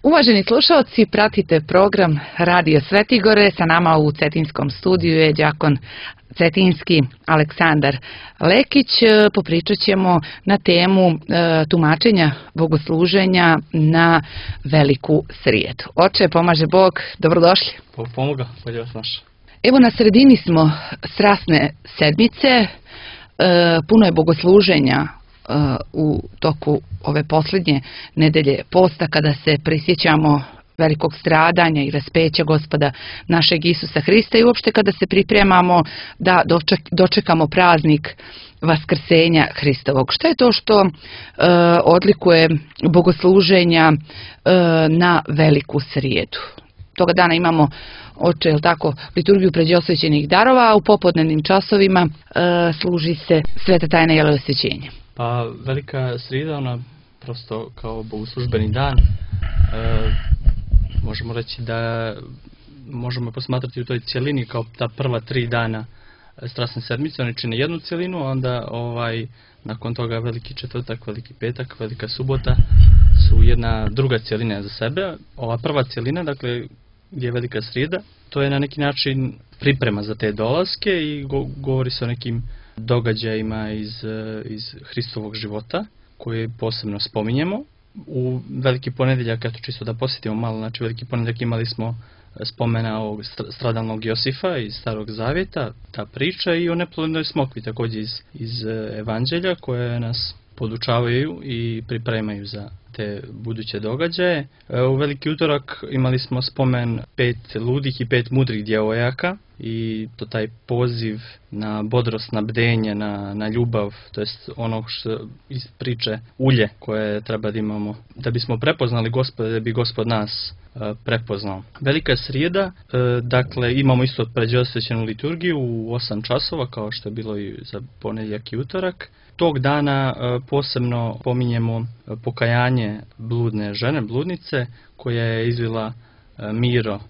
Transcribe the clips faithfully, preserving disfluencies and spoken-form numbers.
Uvaženi slušalci, pratite program Radio Svetigore. Sa nama u Cetinskom studiju je đakon cetinski Aleksandar Lekić. Popričat ćemo na temu e, tumačenja bogosluženja na Veliku srijedu. Oče, pomaže Bog, dobrodošli. Pomoga, bolje vas naša. Evo, na sredini smo Strasne sedmice, e, puno je bogosluženja u toku ove posljednje nedelje posta, kada se prisjećamo velikog stradanja i raspeća Gospoda našeg Isusa Hrista i uopšte kada se pripremamo da doček, dočekamo praznik Vaskrsenja Hristovog. Šta je to što e, odlikuje bogosluženja e, na Veliku srijedu? Toga dana imamo, oče, jel tako, liturgiju pređosvećenih darova, a u popodnevnim časovima e, služi se sveta tajna jelosvećenja. Pa Velika srijeda, ona prosto kao bogoslužbeni dan, e, možemo reći da možemo posmatrati u toj cjelini kao ta prva tri dana Strasne sedmice, oni čine jednu cjelinu, onda ovaj, nakon toga Veliki četvrtak, Veliki petak, Velika subota su jedna druga cjelina za sebe. Ova prva cjelina, dakle, gdje je Velika srijeda, to je na neki način priprema za te dolaske i go, govori se o nekim događajima iz, iz Hristovog života koje posebno spominjemo. U Veliki ponedjeljak, eto čisto da posjetimo malo, znači Veliki ponedjeljak imali smo spomena ovog stradalnog Josifa iz Starog Zavjeta, ta priča, i o neplodnoj smokvi također iz, iz Evanđelja, koje nas podučavaju i pripremaju za te buduće događaje. U Veliki utorak imali smo spomen pet ludih i pet mudrih djevojaka i to taj poziv na bodrost, na bdenje, na, na ljubav, to jest ono što iz priče ulje koje treba da imamo da bismo prepoznali Gospoda, da bi Gospod nas e, prepoznao. Velika srijeda, e, dakle imamo isto pređosvećenu liturgiju u osam časova, kao što je bilo i za ponedjeljak i utorak. Tog dana e, posebno pominjemo pokajanje bludne žene, bludnice, koja je izvila e, miro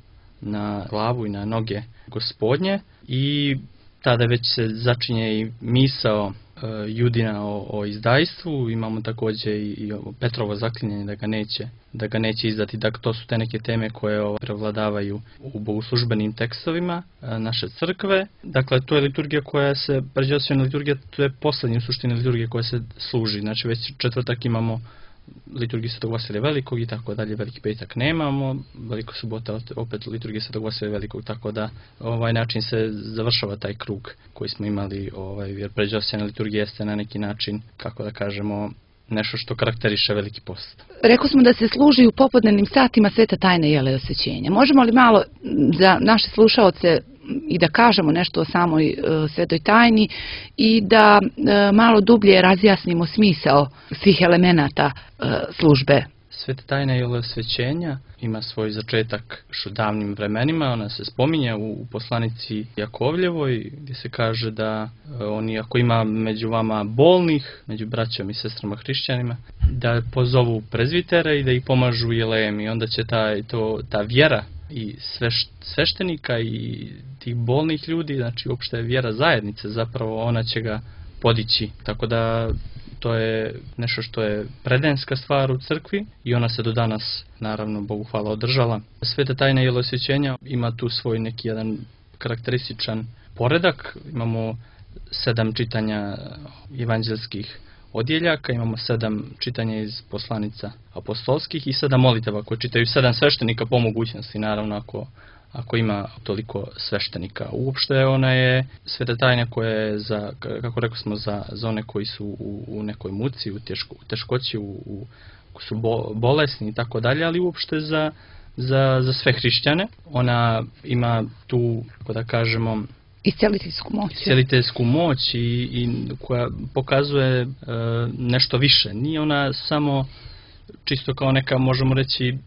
na glavu i na noge Gospodnje, i tada već se začinje i misao e, Judina o, o izdajstvu. Imamo također i, i Petrovo zaklinjanje da ga neće, da ga neće izdati. Dakle, to su te neke teme koje o, prevladavaju u bogoslužbenim tekstovima e, naše crkve. Dakle, to je liturgija koja se, pređosvećena liturgija, to je posljednja u suštini liturgija koja se služi. Znači, već četvrtak imamo liturgiju Svetog Vasilija Velikog i tako dalje, Veliki petak nemamo, Veliko subota opet liturgija Svetog Vasilija Velikog, tako da ovaj način se završava taj krug koji smo imali, ovaj, jer pređosvećena liturgija jeste na neki način, kako da kažemo, nešto što karakteriše Veliki post. Rekli smo da se služi u popodnevnim satima sveta tajna jelosvećenja. Možemo li malo za naše slušaoce i da kažemo nešto o samoj e, svetoj tajni i da e, malo dublje razjasnimo smisao svih elemenata e, službe? Sveta tajna jelosvećenja ima svoj začetak još u davnim vremenima. Ona se spominje u, u poslanici Jakovljevoj, gdje se kaže da e, oni, ako ima među vama bolnih, među braćom i sestrama hrišćanima, da pozovu prezvitere i da ih pomažu jelejem, i onda će ta, to, ta vjera i sveš, sveštenika i tih bolnih ljudi, znači uopšte vjera zajednice, zapravo ona će ga podići. Tako da to je nešto što je predenska stvar u crkvi i ona se do danas, naravno, Bogu hvala, održala. Sveta tajna jelosvećenja ima tu svoj neki jedan karakterističan poredak. Imamo sedam čitanja evanđelskih odjeljaka, imamo sedam čitanja iz poslanica apostolskih i sedam molitava koje čitaju sedam sveštenika po mogućnosti, naravno, ako, ako ima toliko sveštenika. Uopšte ona je sveta tajna koja je, za, kako rekli smo, za, za one koji su u, u nekoj muci, u, teško, u teškoći, u, u, koji su bo, bolesni i tako dalje, ali uopšte za, za, za sve hrišćane. Ona ima tu, kako da kažemo, isceliteljsku moć. Isceliteljsku moć i, i koja pokazuje e, nešto više. Nije ona samo čisto kao neka, možemo reći,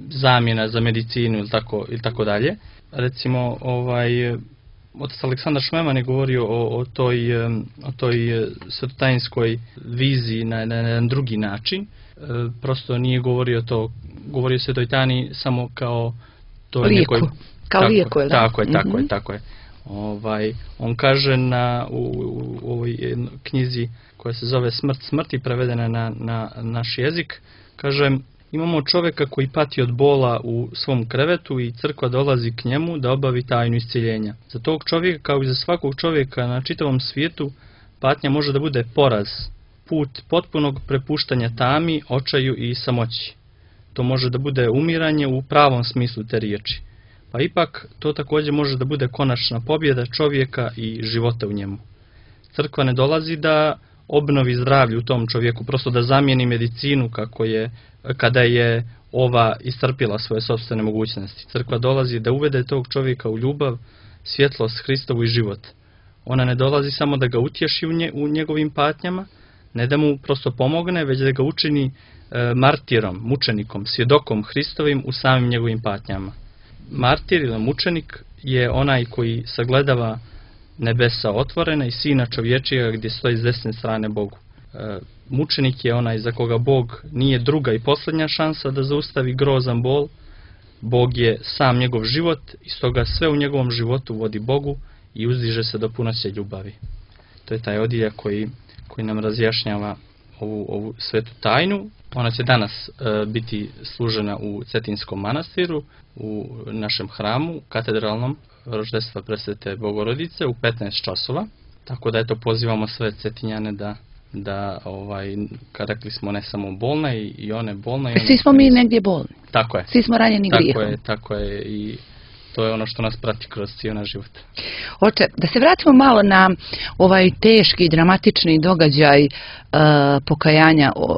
zamjena za medicinu ili tako, ili tako dalje. Recimo, ovaj, otac Aleksandar Šmeman je govorio o, o toj, o toj svetotajinskoj viziji na, na jedan drugi način. E, prosto nije govorio to, govorio se o toj tajni samo kao toj lijeku. Nekoj, kao tako, lijeku, je, da? Tako je, tako mm-hmm. je, tako je. Ovaj, on kaže na, u, u, u ovoj knjizi koja se zove Smrt smrti, prevedena na, na naš jezik, kaže: Imamo čovjeka koji pati od bola u svom krevetu i crkva dolazi k njemu da obavi tajnu iscjeljenja. Za tog čovjeka, kao i za svakog čovjeka na čitavom svijetu, patnja može da bude poraz, put potpunog prepuštanja tami, očaju i samoći. To može da bude umiranje u pravom smislu te riječi. Pa ipak to također može da bude konačna pobjeda čovjeka i života u njemu. Crkva ne dolazi da obnovi zdravlje u tom čovjeku, prosto da zamijeni medicinu kako je, kada je ova iscrpila svoje sopstvene mogućnosti. Crkva dolazi da uvede tog čovjeka u ljubav, svjetlost Hristovu i život. Ona ne dolazi samo da ga utješi u, nje, u njegovim patnjama, ne da mu prosto pomogne, već da ga učini e, martirom, mučenikom, svjedokom Hristovim u samim njegovim patnjama. Martir ili mučenik je onaj koji sagledava nebesa otvorena i sina čovječijega gdje stoji s desne strane Bogu. E, mučenik je onaj za koga Bog nije druga i posljednja šansa da zaustavi grozan bol. Bog je sam njegov život i stoga sve u njegovom životu vodi Bogu i uzdiže se do punoće ljubavi. To je taj odjeljak koji, koji nam razjašnjava ovu, ovu svetu tajnu. Ona će danas e, biti služena u Cetinskom manastiru, u našem hramu, katedralnom Roždestva Presvete Bogorodice u petnaest časova. Tako da eto pozivamo sve Cetinjane da, da ovaj, kad rekli smo ne samo bolne i, i one bolne. I one Svi smo mi negdje bolni. Tako je. Svi smo ranjeni tako grijehom. Je, tako je i to je ono što nas prati kroz cijeli naš život. Oče, da se vratimo malo na ovaj teški, dramatični događaj uh, pokajanja uh,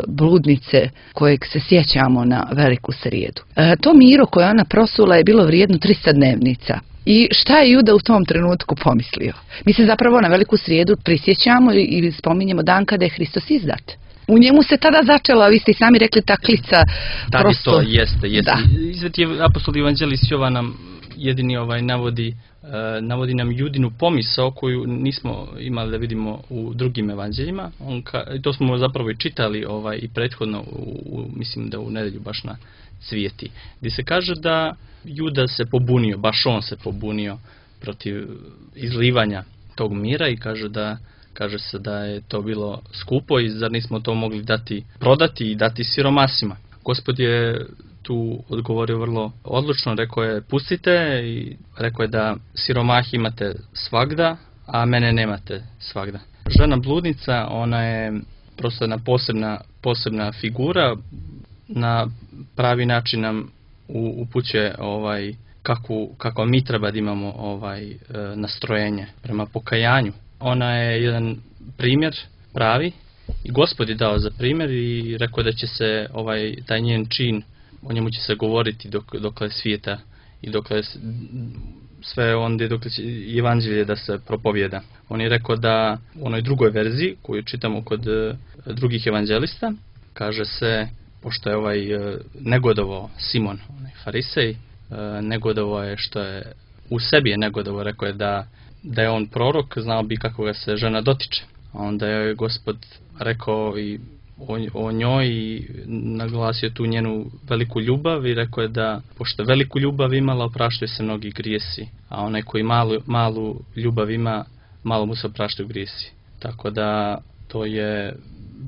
bludnice kojeg se sjećamo na Veliku srijedu. Uh, to miro koje ona prosula je bilo vrijedno trista dnevnica. I šta je Juda u tom trenutku pomislio? Mi se zapravo na Veliku srijedu prisjećamo i, i spominjemo dan kada je Hristos izdat. U njemu se tada začela, vi ste i sami rekli, ta klica. Da, prosto... to jeste, jeste. Da. Sveti apostol Evanđelist Jovan nam jedini ovaj navodi, uh, navodi nam Judinu pomisao koju nismo imali da vidimo u drugim evanđeljima. On ka, to smo zapravo i čitali ovaj, i prethodno, u, u, mislim da u nedjelju baš na Cvijeti, gdje se kaže da Juda se pobunio, baš on se pobunio protiv izlivanja tog mira i kaže da Kaže se da je to bilo skupo i zar nismo to mogli dati, prodati i dati siromasima. Gospod je tu odgovorio vrlo odlučno, rekao je pustite i rekao je da siromahi imate svagda, a mene nemate svagda. Žena bludnica, ona je prosto jedna posebna, posebna figura, na pravi način nam upućuje ovaj, kako, kako mi treba da imamo ovaj, nastrojenje prema pokajanju. Ona je jedan primjer pravi i Gospod je dao za primjer i rekao da će se ovaj taj njen čin, o njemu će se govoriti dok, dokle svijeta i dokle sve onda dokle će evanđelje da se propovjeda. On je rekao da u onoj drugoj verziji koju čitamo kod uh, drugih evanđelista kaže se, pošto je ovaj uh, negodovao Simon, onaj farisej, uh, negodovao je što je u sebi je negodovao, rekao je da da je on prorok, znao bi kako ga se žena dotiče. A onda je Gospod rekao i o, o njoj i naglasio tu njenu veliku ljubav i rekao je da, pošto veliku ljubav imala, opraštaju se mnogi grijesi. A onaj koji malu, malu ljubav ima, malo mu se opraštaju grijesi. Tako da to je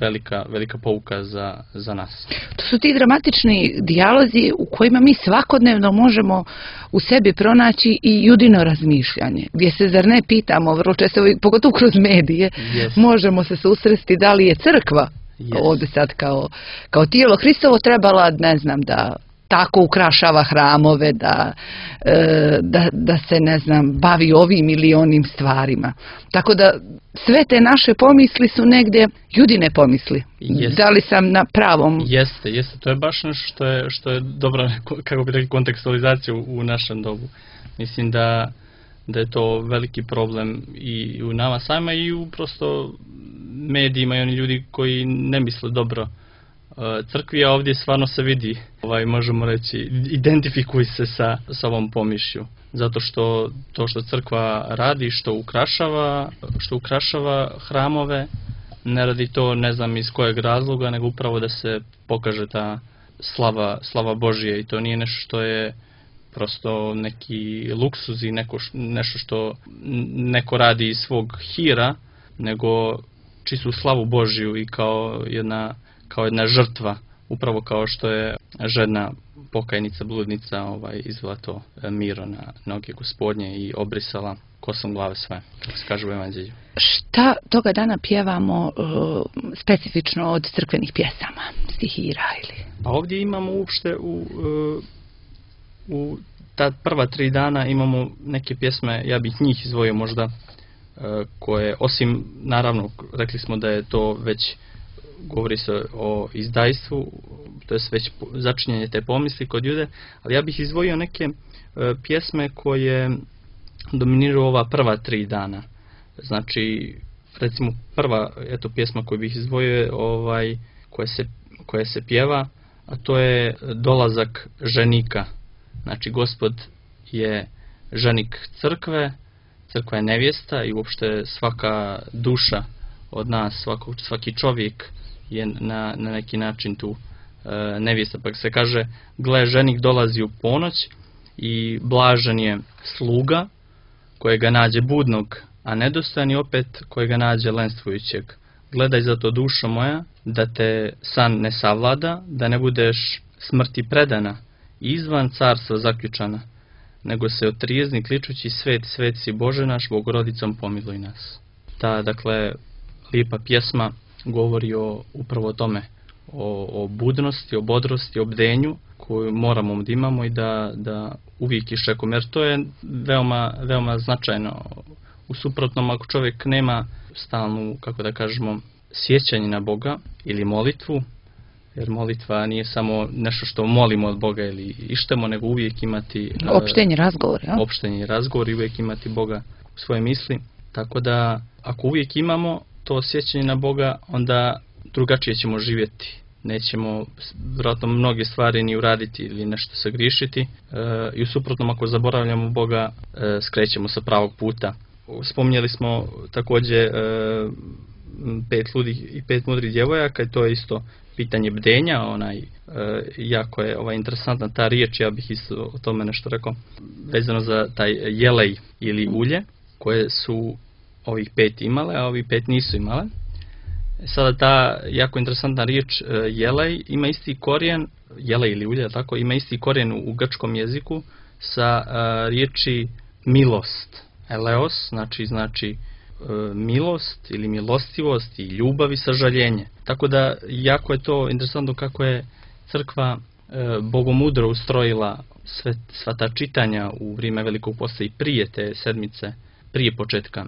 velika, velika pouka za, za nas. To su ti dramatični dijalozi u kojima mi svakodnevno možemo u sebi pronaći i Judino razmišljanje. Gdje se zar ne pitamo, vrlo često, pogotovo kroz medije, yes. možemo se susresti da li je crkva yes. ovdje sad kao, kao tijelo Hristovo trebala, ne znam, da tako ukrašava hramove, da, e, da, da se, ne znam, bavi ovim ili onim stvarima. Tako da sve te naše pomisli su negdje Judine pomisli. Jeste. Da li sam na pravom? Jeste, jeste. To je baš nešto što je, što je dobra, kako bi rekli, kontekstualizacija u, u našem dobu. Mislim da, da je to veliki problem i u nama sama i u prosto medijima i oni ljudi koji ne misle dobro crkvi, a ovdje stvarno se vidi, ovaj, možemo reći, identifikuj se sa, sa ovom pomišlju. Zato što to što crkva radi, što ukrašava, što ukrašava hramove, ne radi to ne znam iz kojeg razloga, nego upravo da se pokaže ta slava, slava Božje i to nije nešto što je prosto neki luksuz i neko, nešto što neko radi iz svog hira, nego čistu slavu Božju i kao jedna kao jedna žrtva upravo kao što je žena pokajnica, bludnica ovaj, izvela to miro na noge Gospodnje i obrisala kosom glave sve, kako se kaže u Evanđelju. Šta toga dana pjevamo uh, specifično od crkvenih pjesama, stihira ili? A ovdje imamo uopšte u, uh, u ta prva tri dana imamo neke pjesme, ja bih njih izdvojio možda, uh, koje, osim, naravno, rekli smo da je to već, govori se o izdajstvu, to je već začinjenje te pomisli kod Jude, ali ja bih izdvojio neke uh, pjesme koje dominiraju ova prva tri dana. Znači, recimo prva eto pjesma koju bih izdvojio je ovaj, koja se, koja se pjeva, a to je dolazak ženika. Znači, Gospod je ženik crkve, crkva je nevjesta i uopšte svaka duša od nas, svako, svaki čovjek je na, na neki način tu e, nevjesta. Pa se kaže, gle, ženik dolazi u ponoć i blažen je sluga kojega nađe budnog, a nedostojan je opet kojega nađe lenstvujućeg. Gledaj zato, dušo moja, da te san ne savlada, da ne budeš smrti predana i izvan carstva zaključana, nego se otrijezni kličući svet, svet si Bože naš, Bogorodicom pomiluj nas. Ta, dakle, lijepa pjesma govori o, upravo o tome, o, o budnosti, o bodrosti, o bdenju koju moramo da imamo i da, da uvijek iščekujemo, jer to je veoma, veoma značajno. U suprotnom, ako čovjek nema stalnu, kako da kažemo, sjećanje na Boga ili molitvu, jer molitva nije samo nešto što molimo od Boga ili ištemo, nego uvijek imati opštenje razgovor, ja? opštenje razgovor i uvijek imati Boga u svoje misli. Tako da, ako uvijek imamo to sjećanje na Boga, onda drugačije ćemo živjeti. Nećemo vjerojatno mnoge stvari ni uraditi ili nešto sagriješiti. E, I u suprotnom, ako zaboravljamo Boga, e, skrećemo sa pravog puta. Spominjali smo također e, pet ludih i pet mudrih djevojaka, i to je isto pitanje bdenja, onaj, e, jako je ovaj, interesantna ta riječ, ja bih isto o tome nešto rekao, vezano za taj jelej ili ulje, koje su ovih pet imale, a ovih pet nisu imale. Sada ta jako interesantna riječ jelej ima isti korijen, jelej ili ulje, tako, ima isti korijen u grčkom jeziku sa a, riječi milost. Eleos, znači, znači a, milost ili milostivost i ljubav i sažaljenje. Tako da jako je to interesantno kako je crkva a, bogomudro ustrojila sve, sva ta čitanja u vrijeme Velikog posta i prije te sedmice, prije početka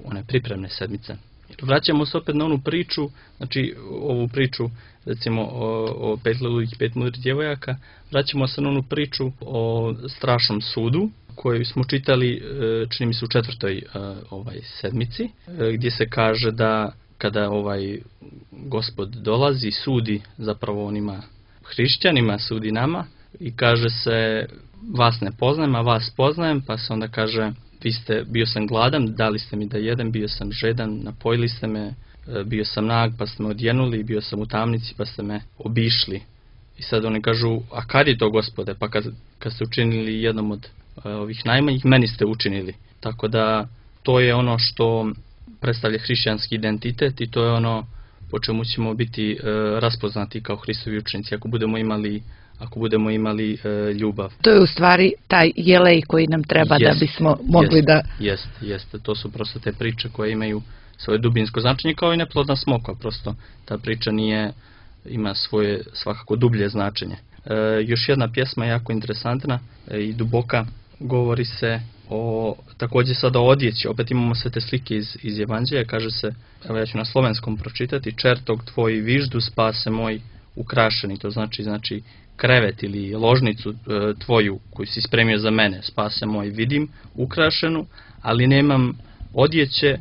one pripremne sedmice. Vraćamo se opet na onu priču, znači ovu priču recimo o, o pet ludih i pet mudrih djevojaka, vraćamo se na onu priču o strašnom sudu koju smo čitali, čini mi se, u četvrtoj ovaj, sedmici, gdje se kaže da kada ovaj Gospod dolazi, sudi zapravo onima hrišćanima, sudi nama i kaže se, vas ne poznajem, a vas poznajem, pa se onda kaže, vi ste, bio sam gladan, dali ste mi da jedem, bio sam žedan, napojili ste me, bio sam nag, pa ste me odjenuli, bio sam u tamnici, pa ste me obišli. I sad oni kažu, a kad je to, Gospode? Pa kad, kad ste učinili jednom od uh, ovih najmanjih, meni ste učinili. Tako da to je ono što predstavlja hrišćanski identitet i to je ono po čemu ćemo biti uh, raspoznati kao Hristovi učenici, ako budemo imali ako budemo imali e, ljubav. To je u stvari taj jelej koji nam treba jest, da bismo mogli jest, da... Jest, jest. To su prosto te priče koje imaju svoje dubinsko značenje, kao i neplodna smokva. Prosto ta priča nije, ima svoje svakako dublje značenje. E, još jedna pjesma jako interesantna e, i duboka, govori se o, također sada o odjeći. Opet imamo sve te slike iz, iz Evanđelja, kaže se, evo ja ću na slovenskom pročitati, čertog tvoj viždu, spase moj ukrašeni, to znači, znači krevet ili ložnicu e, tvoju koju si spremio za mene, spase moj, vidim ukrašenu, ali nemam odjeće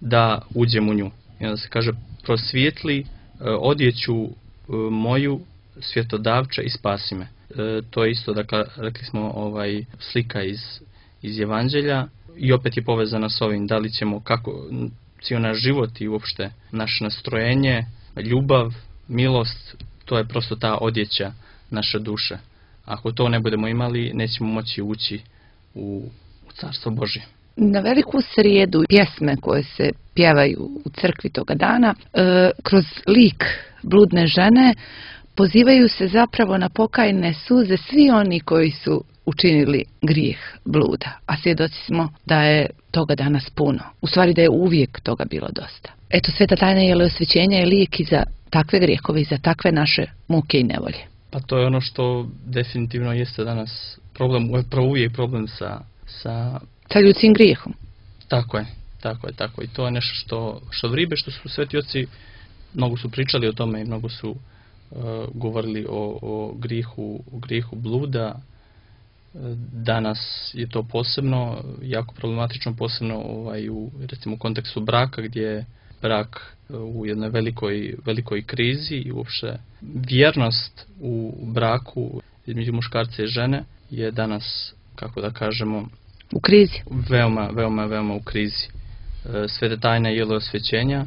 da uđem u nju. I onda se kaže, prosvijetli e, odjeću e, moju, svjetodavče, i spasi me. E, to je isto, dakle, rekli smo, ovaj, slika iz, iz Evanđelja i opet je povezana s ovim, da li ćemo, kako, cijel naš život i uopšte naše nastrojenje, ljubav, milost, to je prosto ta odjeća naše duše. Ako to ne budemo imali, nećemo moći ući u, u Carstvo Božje. Na Veliku srijedu pjesme koje se pjevaju u crkvi toga dana, e, kroz lik bludne žene pozivaju se zapravo na pokajne suze svi oni koji su učinili grijeh bluda, a svjedoci smo da je toga danas puno. U stvari da je uvijek toga bilo dosta. Eto, sveta tajna jeleosvećenja je lijek i za takve grijehove i za takve naše muke i nevolje. Pa to je ono što definitivno jeste danas problem, upravo uvijek problem sa, sa... sa ljudskim grijehom. Tako je, tako je, tako je. I to je nešto što, što vribe, što su sveti oci, mnogo su pričali o tome i mnogo su uh, govorili o, o, grijehu, o grijehu bluda. Danas je to posebno, jako problematično, posebno ovaj, u, recimo, u kontekstu braka, gdje je brak u jednoj velikoj, velikoj krizi i uopšte vjernost u braku između muškarca i žene je danas, kako da kažemo, u krizi. Veoma, veoma, veoma u krizi. Sveta tajna jeleosvećenja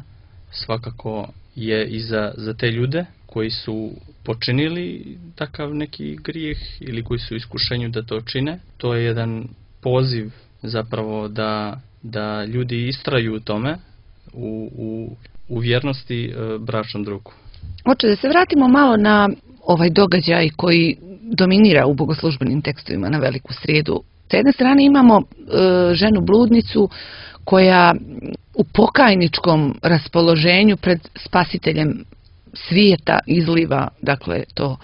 svakako je i za, za te ljude koji su počinili takav neki grijeh ili koji su u iskušenju da to čine. To je jedan poziv zapravo da, da ljudi istraju u tome, u, u, u vjernosti e, bračnom drugu. Oče, da se vratimo malo na ovaj događaj koji dominira u bogoslužbenim tekstovima na Veliku srijedu. S jedne strane imamo e, ženu bludnicu koja u pokajničkom raspoloženju pred spasiteljem svijeta izliva, dakle, to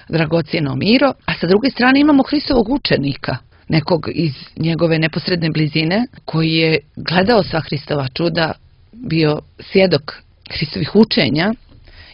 dragocjeno miro, a sa druge strane imamo Hristovog učenika, nekog iz njegove neposredne blizine, koji je gledao sva Hristova čuda, bio svjedok Hristovih učenja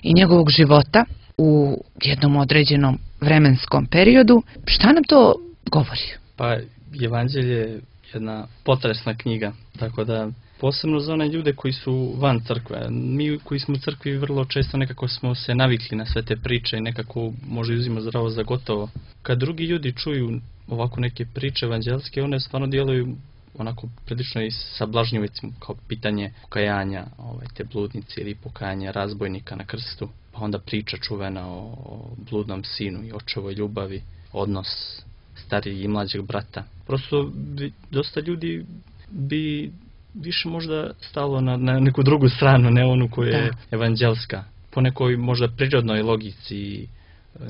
i njegovog života u jednom određenom vremenskom periodu. Šta nam to govori? Pa, Evanđelje je jedna potresna knjiga, tako da posebno za one ljude koji su van crkve. Mi koji smo u crkvi vrlo često nekako smo se navikli na sve te priče i nekako možda uzimo zdravo za gotovo. Kad drugi ljudi čuju ovako neke priče evanđelske, one stvarno djeluju onako prilično i sablažnjivo, kao pitanje pokajanja ovaj, te bludnice ili pokajanja razbojnika na krstu. Pa onda priča čuvena o, o bludnom sinu i očevoj ljubavi, odnos starijeg i mlađeg brata. Prosto bi, dosta ljudi bi više možda stalo na, na neku drugu stranu, ne onu koja je evanđelska. Po nekoj možda prirodnoj logici,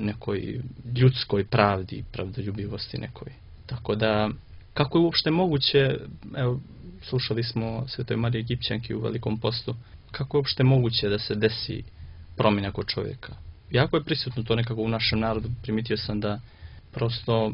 nekoj ljudskoj pravdi, pravdoljubivosti nekoj. Tako da, kako je uopšte moguće, evo, slušali smo Svetoj Mariji Egipćanki u Velikom postu, kako je uopšte moguće da se desi promjena kod čovjeka? Jako je prisutno to nekako u našem narodu, primitio sam da prosto,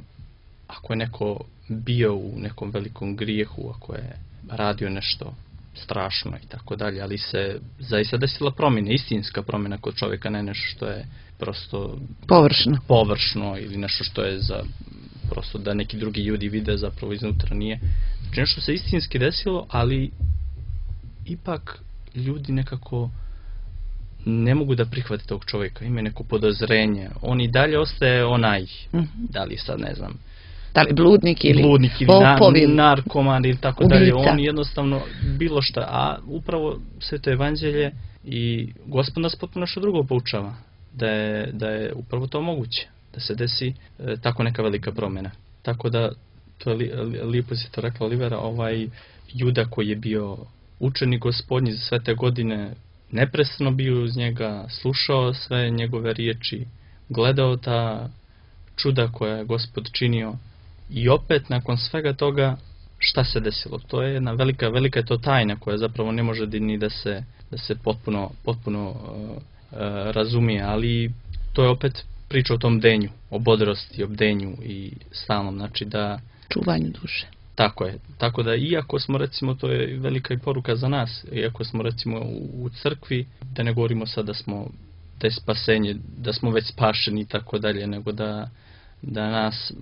ako je neko bio u nekom velikom grijehu, ako je radio nešto strašno i tako dalje, ali se zaista desila promjena, istinska promjena kod čovjeka, ne nešto što je prosto površno, površno ili nešto što je za prosto da neki drugi ljudi vide, zapravo iznutra nije. Znači nešto se istinski desilo, ali ipak ljudi nekako ne mogu da prihvate tog čovjeka, ima neko podozrenje, on i dalje ostaje onaj, mm-hmm. da li sad ne znam, da li bludnik ili, bludnik ili na, narkoman ili tako ubica. Dalje, on jednostavno bilo šta, a upravo Sveto Evanđelje i Gospod nas potpuno nešto drugo poučava, da je, da je upravo to moguće, da se desi e, tako neka velika promjena. Tako da, to je li, li, lijepo si to rekla Olivera, ovaj Juda koji je bio učenik Gospodnji za sve te godine, neprestano bio uz njega, slušao sve njegove riječi, gledao ta čuda koja je Gospod činio i opet nakon svega toga šta se desilo? To je jedna velika, velika je to tajna koja zapravo ne može ni da se, da se potpuno, potpuno uh, uh, razumije, ali to je opet priča o tom denju, o bodrosti, o bdenju i stalnom, znači da... čuvanju duše. Tako je. Tako da iako smo recimo, to je velika i poruka za nas, iako smo recimo u, u crkvi, da ne govorimo sad da smo te spasenje, da smo već spašeni i tako dalje, nego da, da nas,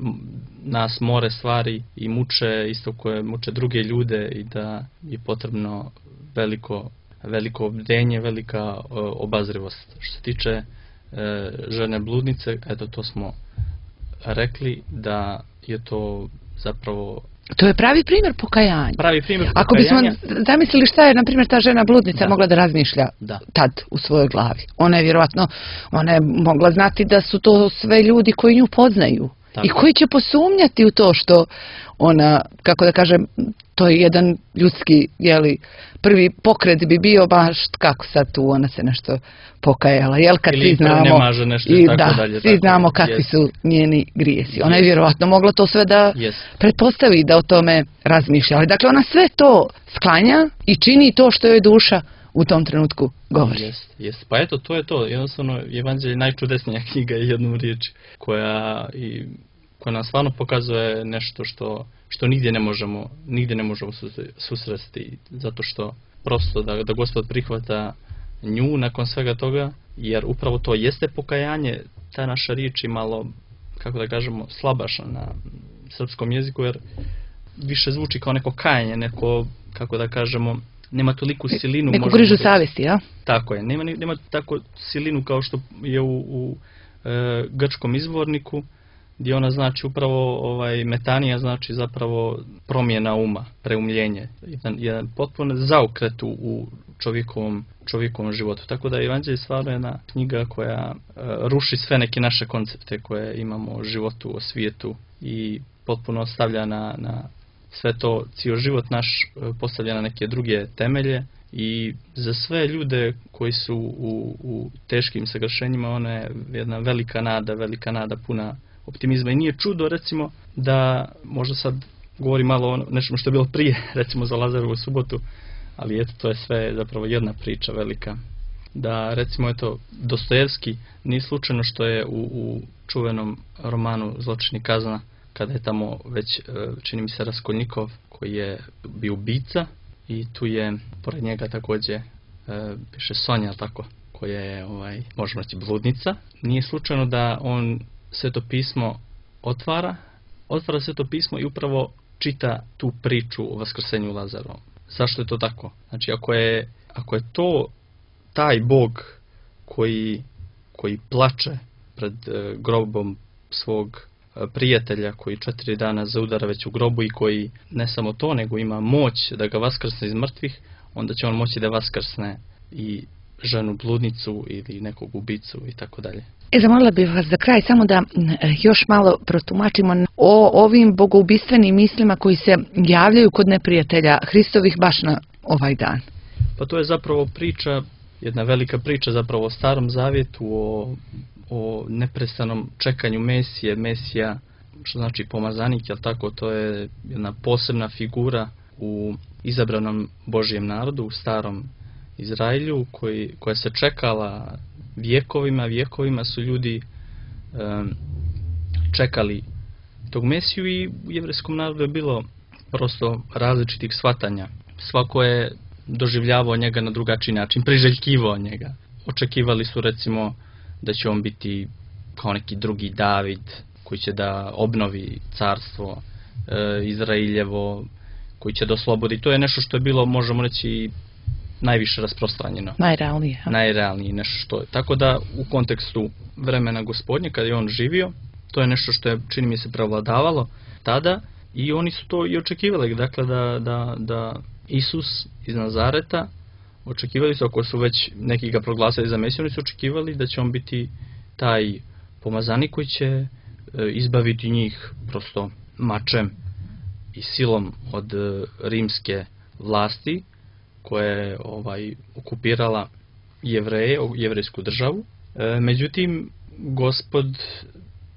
nas more stvari i muče isto koje muče druge ljude i da je potrebno veliko, veliko bdenje, velika o, obazrivost. Što se tiče e, žene bludnice, eto to smo rekli da je to zapravo... To je pravi primjer pokajanja. Pravi primjer pokajanja. Ako bismo zamislili šta je, na primjer, ta žena bludnica da. mogla da razmišlja da. tad u svojoj glavi. Ona je vjerojatno, ona je mogla znati da su to sve ljudi koji nju poznaju i koji će posumnjati u to što ona, kako da kažem, to je jedan ljudski, jeli, prvi pokret bi bio baš kako sad tu ona se nešto pokajala, jel, kad ili svi znamo, ne maže nešto i tako da, dalje, svi tako znamo je, kakvi jest. su njeni grijesi. Ona je Jest. vjerovatno mogla to sve da Jest. pretpostavi, da o tome razmišlja. Ali dakle, ona sve to sklanja i čini to što joj duša u tom trenutku govori. Jest, jest. Pa eto, to je to. Jednostavno, Evanđelje je najčudesnija knjiga i jednom riječi, koja, i, koja nam stvarno pokazuje nešto što, što nigdje ne možemo, nigdje ne možemo susresti, zato što prosto da, da Gospod prihvata nju nakon svega toga, jer upravo to jeste pokajanje, ta naša riječ je malo, kako da kažemo, slabašna na srpskom jeziku, jer više zvuči kao neko kajanje, neko, kako da kažemo, nema toliku silinu. Neku grižu savjesti, ja? Tako je, nema, nema tako silinu kao što je u, u e, grčkom izvorniku, gdje ona znači upravo, ovaj, metanija znači zapravo promjena uma, preumljenje, jedan, jedan potpuno zaokret u, u čovjekovom, čovjekovom životu. Tako da Evanđelje je stvarno jedna knjiga koja e, ruši sve neke naše koncepte koje imamo o životu, o svijetu i potpuno stavlja na, na sve to, cijel život naš postavlja na neke druge temelje i za sve ljude koji su u, u teškim sagršenjima ona je jedna velika nada, velika nada puna optimizma i nije čudo recimo da, možda sad govorim malo o nečemu što je bilo prije, recimo za Lazarovu subotu, ali eto to je sve zapravo jedna priča velika. Da recimo eto Dostojevski nije slučajno što je u, u čuvenom romanu Zločin i kazna, kada je tamo već, čini mi se, Raskolnikov koji je bio ubica i tu je pored njega također piše Sonja, tako, koja je, ovaj, možemo reći, bludnica. Nije slučajno da on Sveto pismo otvara, otvara Sveto pismo i upravo čita tu priču o vaskrsenju Lazarovom. Zašto je to tako? Znači, ako je, ako je to taj Bog koji, koji plače pred e, grobom svog prijatelja koji četiri dana zaudara već u grobu i koji ne samo to, nego ima moć da ga vaskrsne iz mrtvih, onda će on moći da vaskrsne i ženu bludnicu ili nekog ubicu i tako dalje. E, zamolila bih vas za kraj samo da još malo protumačimo o ovim bogoubistvenim mislima koji se javljaju kod neprijatelja Hristovih baš na ovaj dan. Pa to je zapravo priča, jedna velika priča zapravo o Starom Zavjetu, o o neprestanom čekanju Mesije, Mesija, što znači pomazanik, jel tako, to je jedna posebna figura u izabranom Božijem narodu, u starom Izraelju, koji, koja se čekala vjekovima, vjekovima su ljudi um, čekali tog Mesiju i u jevrejskom narodu je bilo prosto različitih shvatanja. Svako je doživljavao njega na drugačiji način, priželjkivao njega. Očekivali su recimo da će on biti kao neki drugi David koji će da obnovi carstvo e, Izraeljevo, koji će da oslobodi. To je nešto što je bilo, možemo reći, najviše rasprostranjeno. Najrealnije. Najrealnije nešto što je. Tako da u kontekstu vremena Gospodnje, kada je on živio, to je nešto što je, čini mi se, prevladavalo tada i oni su to i očekivali. Dakle, da, da, da Isus iz Nazareta, očekivali su, ako su već neki ga proglasili za Mesiju, oni su očekivali da će on biti taj pomazanik koji će e, izbaviti njih prosto mačem i silom od e, rimske vlasti koja je ovaj, okupirala Jevreje, jevrejsku državu. E, međutim, Gospod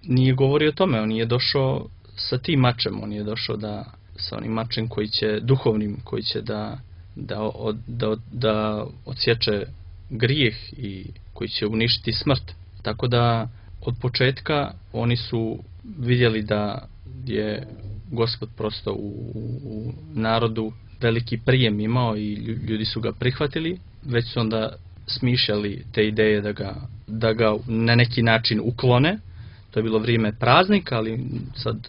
nije govorio o tome, on je došao sa tim mačem, on je došao da, sa onim mačem koji će, duhovnim, koji će da Da, od, da, da odsječe grijeh i koji će uništiti smrt. Tako da od početka oni su vidjeli da je Gospod prosto u, u narodu veliki prijem imao i ljudi su ga prihvatili, već su onda smišljali te ideje da ga, da ga na neki način uklone. To je bilo vrijeme praznika, ali sad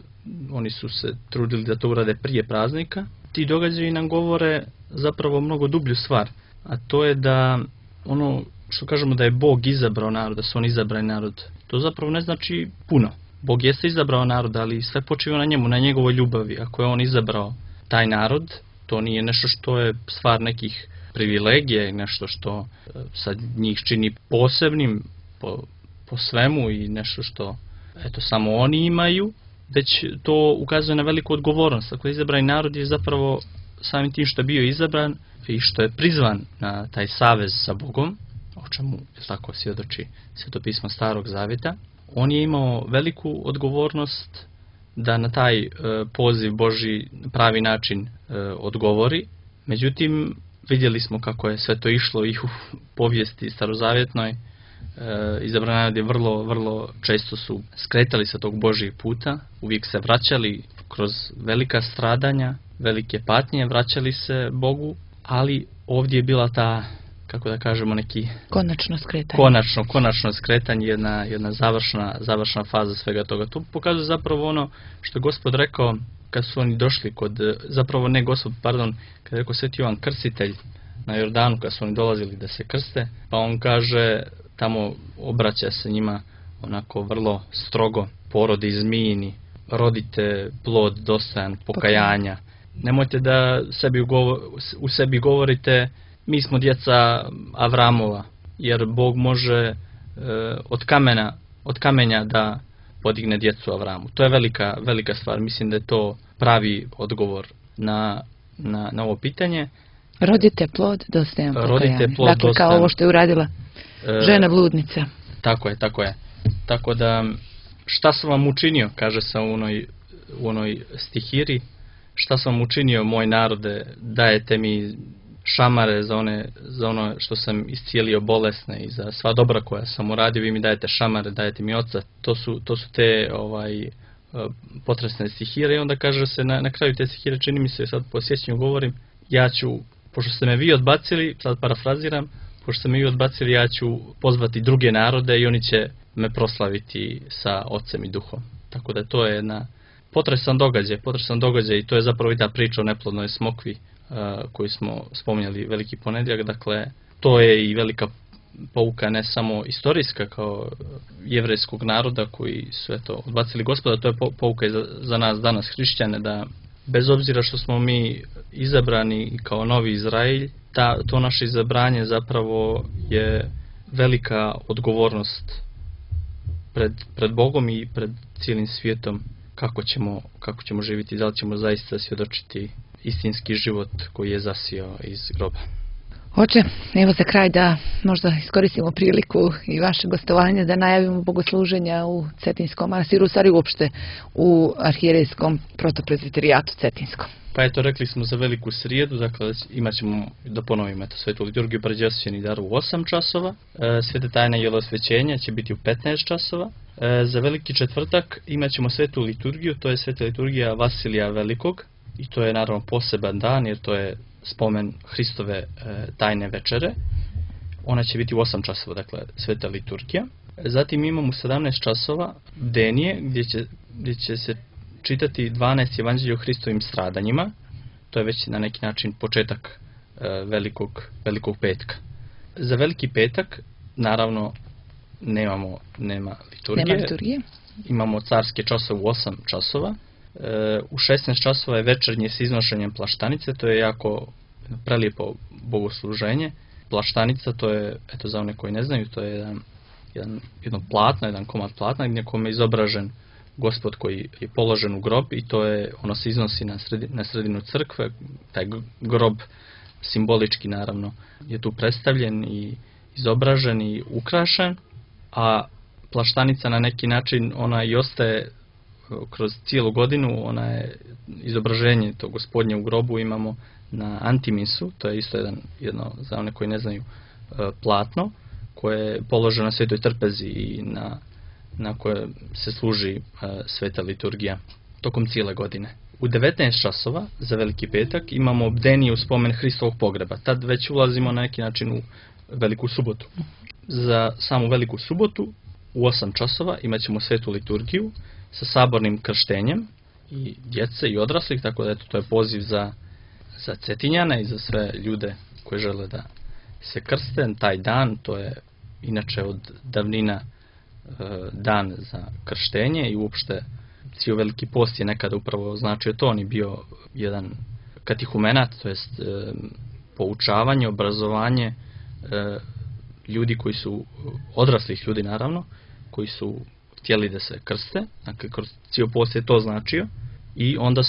oni su se trudili da to urade prije praznika. Ti događaji nam govore zapravo mnogo dublju stvar, a to je da ono što kažemo da je Bog izabrao narod, da su on izabrani narod, to zapravo ne znači puno. Bog jeste izabrao narod, ali sve počiva na njemu, na njegovoj ljubavi. Ako je on izabrao taj narod, to nije nešto što je stvar nekih privilegija i nešto što sad njih čini posebnim po, po svemu i nešto što eto samo oni imaju, već to ukazuje na veliku odgovornost. Dakle, izabrani narod je zapravo samim tim što je bio izabran i što je prizvan na taj savez sa Bogom, o čemu je tako svjedoči Sveto pismo Starog Zavjeta, on je imao veliku odgovornost da na taj e, poziv Božji na pravi način e, odgovori. Međutim, vidjeli smo kako je sve to išlo i u povijesti starozavjetnoj. E, izabrani narod je vrlo, vrlo često su skretali sa tog Božjeg puta, uvijek se vraćali kroz velika stradanja, velike patnje, vraćali se Bogu, ali ovdje je bila ta, kako da kažemo, neki konačno skretanje. Konačno, konačno skretanje, jedna, jedna završna, završna faza svega toga. To pokazuje zapravo ono što je Gospod rekao kad su oni došli kod, zapravo ne Gospod, pardon, kad je rekao Sveti Jovan Krstitelj na Jordanu, kad su oni dolazili da se krste, pa on kaže, tamo obraća se njima onako vrlo strogo, porodi zmijini, rodite plod dostojan pokajanja. Nemojte da sebi ugovor, u sebi govorite, mi smo djeca Avramova, jer Bog može e, od kamena, od kamenja da podigne djecu Avramu. To je velika, velika stvar. Mislim da je to pravi odgovor na, na, na ovo pitanje. Rodite plod dostojan pokajanja. Rodite plod dakle, dostojan. kao ovo što je uradila žena bludnica. Tako je, tako je. Tako da, šta sam vam učinio, kaže se u onoj, u onoj stihiri, šta sam vam učinio, moj narode, dajete mi šamare za, one, za ono što sam iscijelio bolesne i za sva dobra koja sam uradio, vi mi dajete šamare, dajete mi oca. To su, to su te ovaj, potresne stihire i onda kaže se na, na kraju te stihire, čini mi se, sad po sjećanju govorim, ja ću, pošto ste me vi odbacili, sad parafraziram, pošto ste me vi odbacili, ja ću pozvati druge narode i oni će me proslaviti sa ocem i duhom. Tako da to je jedna potresan događaj, potresan događaj i to je zapravo i ta priča o neplodnoj smokvi uh, koju smo spominjali veliki ponedjeljak. Dakle, to je i velika pouka ne samo istorijska kao jevrejskog naroda koji su eto odbacili Gospoda, to je pouka i za, za nas danas hrišćane, da bez obzira što smo mi izabrani kao novi Izrael, ta, to naše izabranje zapravo je velika odgovornost pred, pred Bogom i pred cijelim svijetom, kako ćemo, kako ćemo živjeti, da li ćemo zaista svjedočiti istinski život koji je zasijao iz groba. Oče, evo za kraj da možda iskoristimo priliku i vaše gostovanje da najavimo bogosluženja u Cetinskom manastiru, u stvari uopšte u arhijerejskom protoprezbiterijatu Cetinskom. Pa eto, rekli smo za veliku srijedu, dakle imat ćemo, da ponovimo, eto, svetu liturgiju pređosvećeni dar u osam časova, e, svete tajne jelosvećenja će biti u petnaest časova, e, za veliki četvrtak imat ćemo svetu liturgiju, to je sveta liturgija Vasilija Velikog, i to je naravno poseban dan, jer to je spomen Hristove e, tajne večere. Ona će biti u osam časova, dakle sveta liturgija. Zatim imamo u sedamnaest časova bdenije, gdje će, gdje će se čitati dvanaest evanđelja o Hristovim stradanjima. To je već na neki način početak e, velikog, velikog petka. Za veliki petak, naravno, nemamo, nema liturgije. Nema liturgije. Imamo carske časove u osam časova. E, u šesnaest časova je večernje s iznošenjem plaštanice, to je jako prelijepo bogosluženje. Plaštanica, to je, eto za one koji ne znaju, to je jedan, jedan, jedno platno, jedan komad platna gdje kome je izobražen Gospod koji je položen u grob i to je, ono se iznosi na, sredi, na sredinu crkve. Taj grob simbolički naravno je tu predstavljen i izobražen i ukrašen, a plaštanica na neki način ona i ostaje kroz cijelu godinu, ona je izobraženje tog Gospodnje u grobu imamo na antimisu, to je isto jedan, jedno, za one koji ne znaju, platno koje je položeno na Svetoj trpezi i na, na koje se služi sveta liturgija tokom cijele godine. U devetnaest časova za veliki petak imamo bdenije u spomen Hristovog pogreba. Tad već ulazimo na neki način u veliku subotu. Za samu veliku subotu u osam časova imat ćemo svetu liturgiju sa sabornim krštenjem i djece i odraslih, tako da eto, to je poziv za, za Cetinjane i za sve ljude koji žele da se krste. Taj dan, to je inače od davnina e, dan za krštenje i uopšte cijel veliki post je nekada upravo značio to. On je bio jedan katehumenat, to jest e, poučavanje, obrazovanje e, ljudi koji su, odraslih ljudi naravno, koji su htjeli da se krste, dakle kroz cijel post je to značio, i onda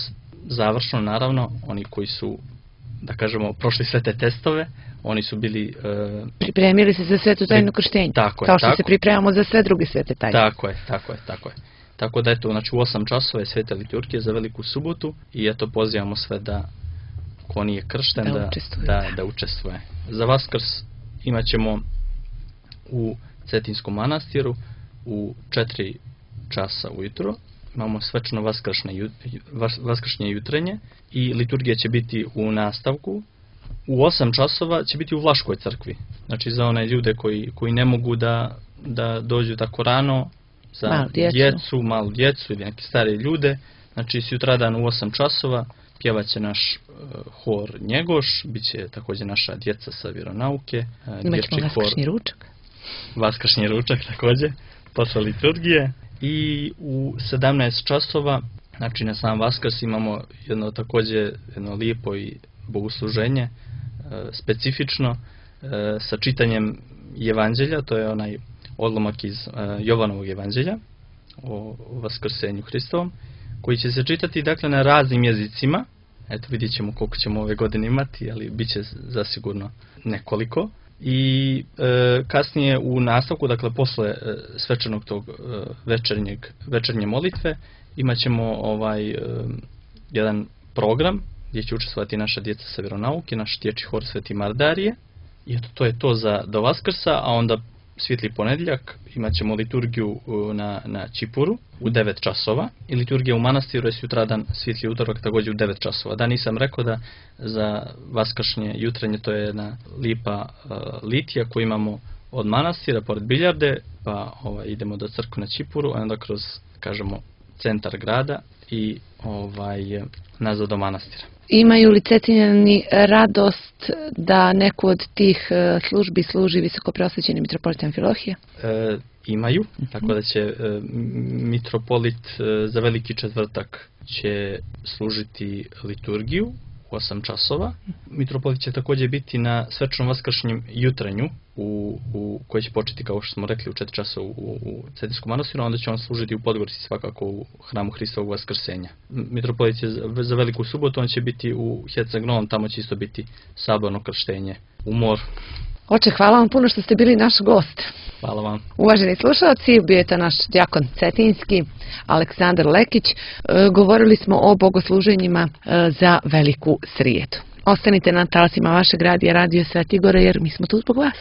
završno naravno oni koji su, da kažemo, prošli sve te testove, oni su bili... E, pripremili se za svetu tajnu krštenja, tako je, kao što tako, se pripremamo za sve druge svete tajne. Tako je, tako je, tako je. Tako da eto, znači u osam časova je sveta liturgija za Veliku subotu i eto pozivamo sve da, ko nije kršten, da, da, učestvuje. da, da učestvuje. Za Vaskrs imat ćemo u Cetinskom manastiru u četiri časa ujutro. Imamo svečano vaskršnje, vaskršnje jutrenje i liturgija će biti u nastavku. U osam časova će biti u Vlaškoj crkvi. Znači za one ljude koji, koji ne mogu da, da dođu tako rano, za malu djecu. djecu, malu djecu ili neke stare ljude. Znači sutradan u osam časova pjevaće naš uh, hor Njegoš, bit će također naša djeca sa vjeronauke. Uh, Imaćemo vaskršnji ručak. Vaskršnji ručak također, posle liturgije. I u sedamnaest časova, znači na sam Vaskrs imamo jedno također jedno lijepo i bogosluženje, e, specifično, e, sa čitanjem evanđelja, to je onaj odlomak iz e, Jovanovog evanđelja o, o Vaskrsenju Hristovom, koji će se čitati dakle na raznim jezicima. Eto vidjet ćemo koliko ćemo ove godine imati, ali bit će zasigurno nekoliko. I e, kasnije u nastavku, dakle posle e, svečanog tog e, večernjeg, večernje molitve, imat ćemo ovaj, e, jedan program gdje će učestvovati naša djeca sa vjeronauke, naš dječji hor Sveti Mardarije. I eto, to je to za do Vaskrsa, a onda svijetli ponedjeljak imat ćemo liturgiju na, na Čipuru u devet časova i liturgija u manastiru je sutradan svijetli utorak također u devet časova. Da, nisam rekao da za vaskršnje jutrenje to je jedna lipa uh, litija koju imamo od manastira pored biljarde, pa ovaj, idemo do crkve na Čipuru, a onda kroz, kažemo, centar grada i ovaj, nazad do manastira. Imaju li Cetinjani radost da neku od tih službi služi visokoprosvećeni mitropolit Amfilohije? E, imaju, tako da će e, mitropolit e, za Veliki četvrtak će služiti liturgiju u osam časova. Mitropolit će također biti na svečanom vaskršnjem jutrenju u, u, koji će početi, kao što smo rekli, u četiri časa u, u Cetinskom manastiru, onda će on služiti u Podgorici svakako u hramu Hristovog Vaskrsenja. Mitropolit je za, za Veliku subotu, on će biti u Herceg Novom, tamo će isto biti saborno krštenje u moru. Oče, hvala vam puno što ste bili naš gost. Hvala vam. Uvaženi slušalci, bio je to naš djakon cetinski, Aleksandar Lekić. E, govorili smo o bogosluženjima e, za Veliku srijedu. Ostanite na talasima vašeg radija, Radio Sveti Gore, jer mi smo tu zbog vas.